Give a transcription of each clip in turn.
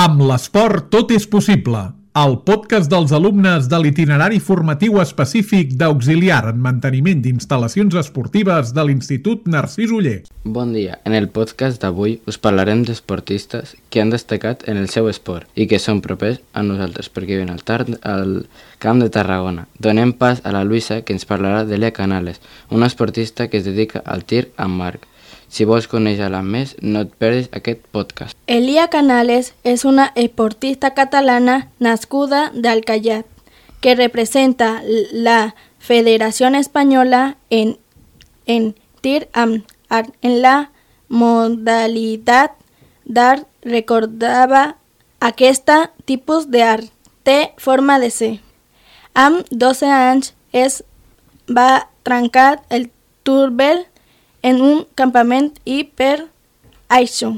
Amb l'esport tot és possible. El podcast dels alumnes de l'itinerari formatiu específic d'auxiliar en manteniment d'instal·lacions esportives de l'Institut Narcís Oller. Bon dia. En el podcast d'avui us parlarem d'esportistes que han destacat en el seu esport i que són propers a nosaltres perquè viuen al Camp de Tarragona. Donem pas a la Luisa, que ens parlarà d'Elia Canales, una esportista que es dedica al tir amb arc. Si vols conèixer-la més, no et perdis aquest podcast. Elia Canales és una esportista catalana nascuda d'Alcallat, que representa la Federació Espanyola en tir amb arc. En la modalitat d'arc recordava aquest tipus d'arc. Té forma de C. Amb 12 anys es va trencar el torbell en un campament i per això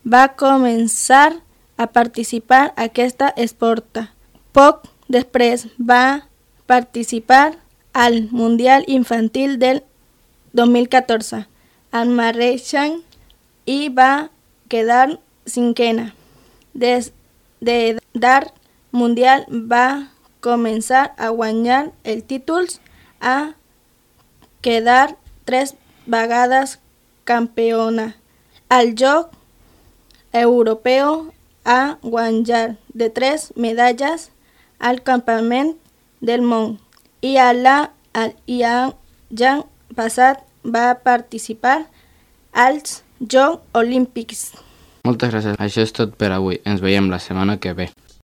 va començar a participar en aquesta esport. Poc després va participar al Mundial Infantil del 2014 amb Marreixant i va quedar cinquena. Des d'art mundial va començar a guanyar el títol, a quedar 3 vegades campiona. Al Joc Europeu a guanyar de 3 medalles al Campament del Món i l'any passat va participar als Jocs Olímpics. Moltes gràcies. Això és tot per avui. Ens veiem la setmana que ve.